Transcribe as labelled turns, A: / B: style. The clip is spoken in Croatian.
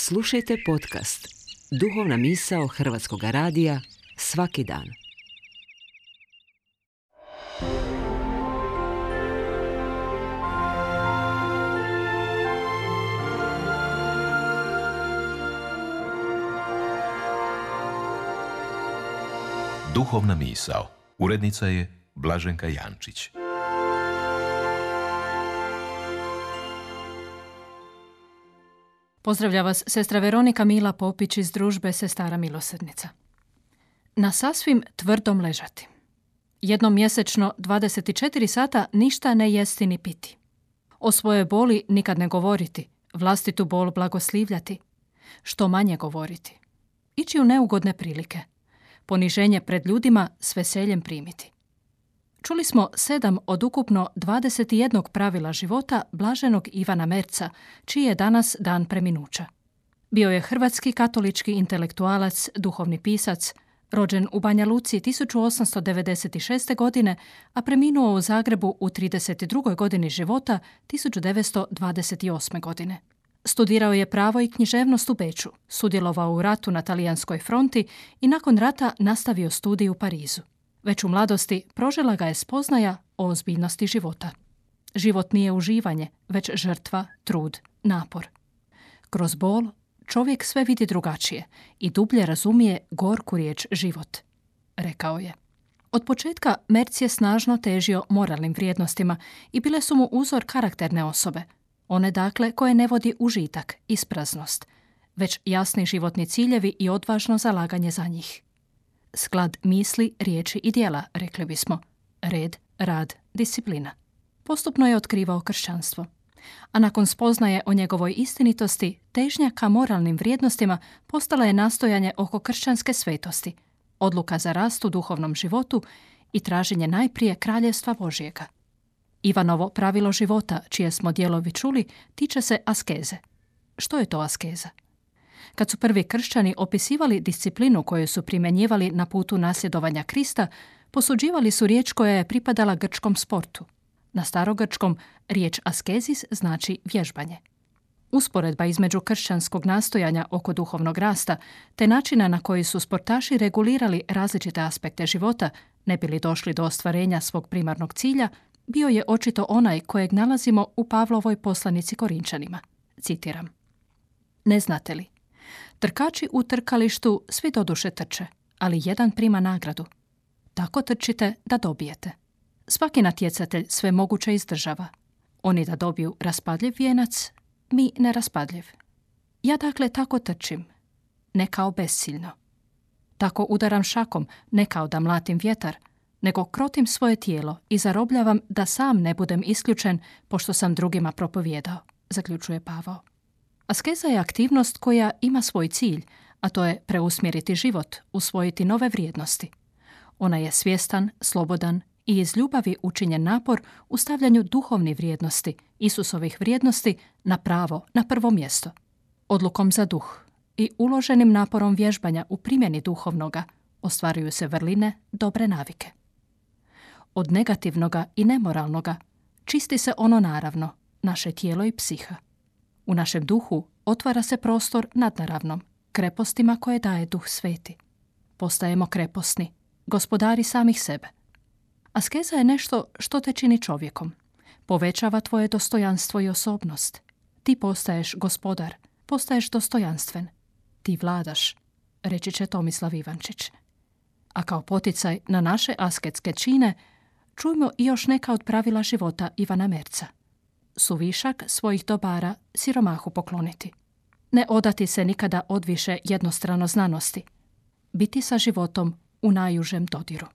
A: Slušajte podcast Duhovna misao Hrvatskog radija svaki dan.
B: Duhovna misao. Urednica je Blaženka Jančić.
C: Pozdravlja vas sestra Veronika Mila Popić iz družbe Sestara milosrdnica. Na sasvim tvrdom ležati. Jednom mjesečno 24 sata ništa ne jesti ni piti. O svojoj boli nikad ne govoriti, vlastitu bol blagoslivljati. Što manje govoriti. Ići u neugodne prilike. Poniženje pred ljudima s veseljem primiti. Čuli smo 7 od ukupno 21 pravila života blaženog Ivana Merza, čiji je danas dan preminuća. Bio je hrvatski katolički intelektualac, duhovni pisac, rođen u Banja Luci 1896. godine, a preminuo u Zagrebu u 32. godini života 1928. godine. Studirao je pravo i književnost u Beču, sudjelovao u ratu na talijanskoj fronti i nakon rata nastavio studij u Parizu. Već u mladosti prožela ga je spoznaja o ozbiljnosti života. Život nije uživanje, već žrtva, trud, napor. Kroz bol čovjek sve vidi drugačije i dublje razumije gorku riječ život, rekao je. Od početka Merz je snažno težio moralnim vrijednostima i bile su mu uzor karakterne osobe. One dakle koje ne vodi užitak, ispraznost, već jasni životni ciljevi i odvažno zalaganje za njih. Sklad misli, riječi i djela, rekli bismo. Red, rad, disciplina. Postupno je otkrivao kršćanstvo. A nakon spoznaje o njegovoj istinitosti, težnja ka moralnim vrijednostima postala je nastojanje oko kršćanske svetosti, odluka za rast u duhovnom životu i traženje najprije kraljevstva Božjega. Ivanovo pravilo života, čije smo dijelovi čuli, tiče se askeze. Što je to askeza? Kad su prvi kršćani opisivali disciplinu koju su primjenjivali na putu nasljedovanja Krista, posuđivali su riječ koja je pripadala grčkom sportu. Na starogrčkom riječ askezis znači vježbanje. Usporedba između kršćanskog nastojanja oko duhovnog rasta te načina na koji su sportaši regulirali različite aspekte života, ne bili došli do ostvarenja svog primarnog cilja, bio je očito onaj kojeg nalazimo u Pavlovoj poslanici Korinčanima. Citiram. Ne znate li? Trkači u trkalištu svi doduše trče, ali jedan prima nagradu. Tako trčite da dobijete. Svaki natjecatelj sve moguće izdržava. Oni da dobiju raspadljiv vijenac, mi neraspadljiv. Ja dakle tako trčim, ne kao besiljno. Tako udaram šakom, ne kao da mlatim vjetar, nego krotim svoje tijelo i zarobljavam da sam ne budem isključen pošto sam drugima propovijedao, zaključuje Pavao. Askeza je aktivnost koja ima svoj cilj, a to je preusmjeriti život, usvojiti nove vrijednosti. Ona je svjestan, slobodan i iz ljubavi učinjen napor u stavljanju duhovnih vrijednosti, Isusovih vrijednosti, na pravo, na prvo mjesto. Odlukom za duh i uloženim naporom vježbanja u primjeni duhovnoga ostvaruju se vrline dobre navike. Od negativnoga i nemoralnoga čisti se ono naravno, naše tijelo i psiha. U našem duhu otvara se prostor nadnaravnom, krepostima koje daje Duh Sveti. Postajemo kreposni, gospodari samih sebe. Askeza je nešto što te čini čovjekom. Povećava tvoje dostojanstvo i osobnost. Ti postaješ gospodar, postaješ dostojanstven. Ti vladaš, reći će Tomislav Ivančić. A kao poticaj na naše asketske čine, čujmo i još neka od pravila života Ivana Merza. Suvišak svojih dobara siromahu pokloniti. Ne odati se nikada odviše jednostrano znanosti. Biti sa životom u najužem dodiru.